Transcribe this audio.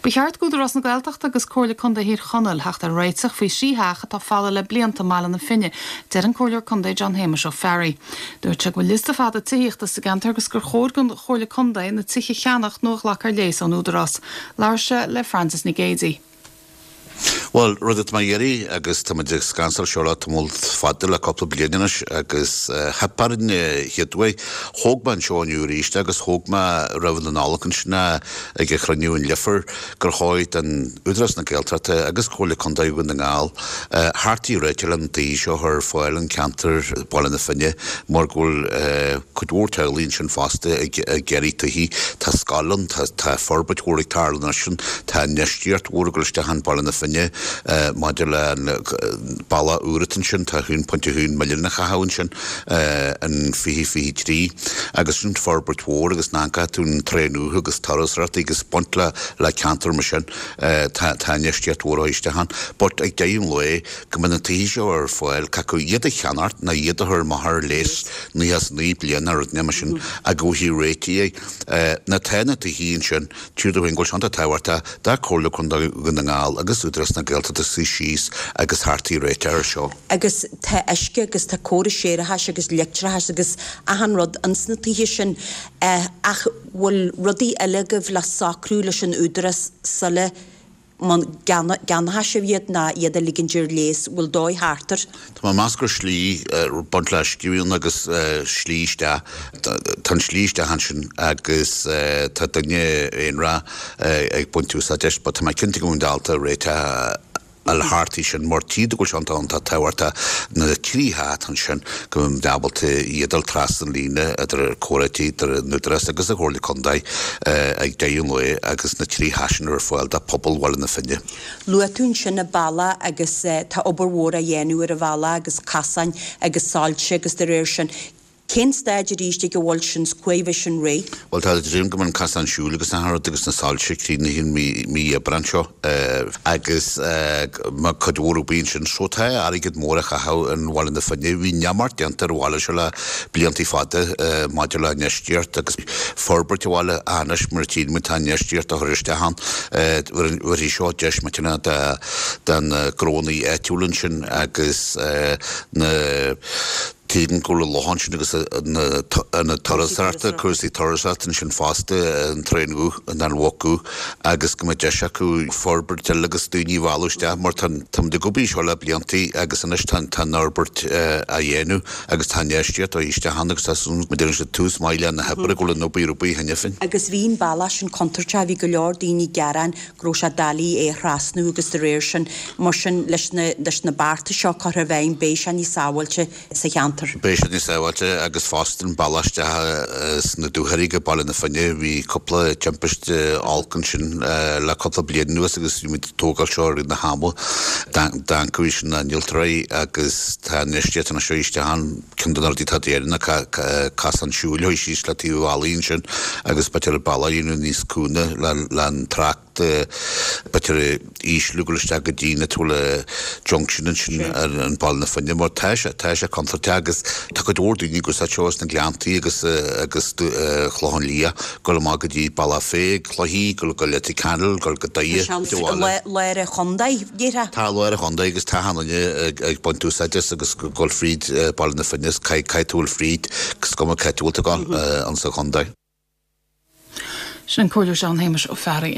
Ba cheart d'Údarás na Gaeltachta agus Comhairle Contae Thír Chonaill theacht ar réiteach faoi thrí theach atá folamh le blianta i mBaile na Finne, deir an Comhairleoir Contae John Shéamuis Ó Fearraigh. Dúirt sé go bhfuil liosta fada tithíochta sa gceantar agus gur chóir don Chomhairle Contae na tithe a cheannacht nó a ghlacadh ar léas ón Údarás. Labhair sé le Frances Nic Géadaigh. Bhuel, rud atá mé a iarraidh agus tá muid ag scansáil seo le tamall fada, le cúpla bliain anois agus theip orainn an chéad uair. Thóg mé anseo inniu arís agus thóg mé roimh na Nollag ansin é ag an chruinniú in Leifear gur chóir don Údarás na Gaeltachta agus Comhairle Contae Dhún na nGall theacht ar réiteach le na tithe seo a chur ar fáil in ceantar Bhaile na Finne mar go bhfuil cuid mhór teaghlaigh ansin fosta ag iarraidh tithe. Tá scoil ann, tá forbairt mhór ag tarlú ansin, tá infheistíocht mhór ag dul isteach in Baile na Finne maidir le an bealach úr atá ansin, tá 1.1 milliún á chaitheamh ansin in 2023 agus sin forbairt mhór agus nach gcaithfidh tú an traein uathu agus turasóireacht agus baint le le ceantar mar sin tá tá infheistíocht mhór á isteach ann. But ag deireadh an lae go mbeidh na tithe seo ar fáil cé acu iad a cheannacht nó iad a chur amach ar léas 99 bliain nó rud mar sin ach go bhfaighidh réitigh é. Nó tá na tithe ansin, tír do féin go bhfuil sé iontach tábhachtach do Chomhairle Contae Dhún na nGall agus Údarás na Gaeltachta suí síos agus theacht ar réiteach air seo. Agus tá uisce agus tá córas séarachais agus leictreachais agus achan rud ins na tithe sin ach bhfuil rudaí eile agaibh le socrú leis an Údarás sula gceannóidh sibh iad ná iad a ligint ar léas, bhfuil dóigh thart air? Tá mé ag meas gur slí baint le uisce ann agus slí isteach. Tá an slí isteach ansin agus tá duine aonrach ag baint úsáid as but tá mé cinnte go bhfuil ábalta réiteach a fháil thart é sin mar tchí tú go bhfuil sé iontach tábhachtach na trí theach atá ansin go mbeidh ábalta iad a fháil trasna an líne idir comhráití idir an Údarás agus an Chomhairle Contae ag deireadh an lae agus na trí theach sin ar fáil do phobal Bhaile na Finne. Luaigh tú ansin an bealach agus tá obair mhór á dhéanamh ar an bhealach agus casáin agus soilse agus de réir sin. Cén staid arís ag a bhfuil sin 's cá huair a bheidh sin réidh? Bhuel tá dream go mbeidh an casán siúil agus achan rud agus na soilse críochnaithe i mí Aibreán seo agus má cuid mhór obair ansin so tá airgead mór á chaitheamh in Bhaile na Finne. Bhí neamart déanta ar an bhaile seo le blianta fada maidir le infheistíocht agus forbairt an bhaile anois mar a tchíonn muid tá infheistíocht á chur isteach ann. Bhéarfaidh seo deis millteanach do na gnónnaí áitiúla ansin agus na Tuigim go bhfuil an loch ansin agus na turasóireachta, cúrsaí turasóireachta ansin fosta, an traein an Mhuc agus go mbeidh deis acu forbairt eile agus daoine a mhealladh isteach mar tá táimid ag obair seo le blianta agus anois tá tá an fhorbairt á dhéanamh agus tá infheistíocht á isteach ann agus tá súil go ndéanann siad tús maith le na hoibre go bhfuil an obair ar bun cheana féin. Agus bhí an bealach sin contúirteach, bhí go leor daoine ag gearán go raibh sé doiligh é a thrasnú agus de réir sin, mar sin, leis na, leis na bearta seo curtha i bhfeidhm, beidh sé níos sábháilte sa cheantar. Beidh sé níos sábháilte agus fosta an bealach isteach sna dúchoraidh go Baile na Finne, bhí cúpla timpiste olc ansin le cúpla bliain anuas agus bhí muid ag tógáil seo i rith na hama. D'ancaigh sin na n-innealtóirí agus tá an infheistíocht anois isteach ann. Ceann de na rudaí atá déanta ná casán siúil a chur síos le taobh an bhealaigh ansin agus b'fhéidir an bealach a dhéanamh níos cúnga le an trácht b'fhéidir a ísliú dul isteach go dtí na bhfuil junction ansin ar an Baile na Finne mar tá sé tá sé contúirteach agus tá cuid mhór daoine ag úsáid seo as na Gleanntaí agus agus Clochán Liath dul amach go dtí Bealach Féich, Cloichí, dul go Leitir Ceanainn, dul go Doire, Tá sé i lár an chontae, déarfá. Tá i lár an chontae agus tá achan duine ag baint úsáid as agus ag dul fríd Baile na Finne is caithfidh tú dul fríd is cuma cá háit a bhfuil tú ag dul insa chontae. Sin an Comhairleoir John Shéamuis Ó Fearraigh.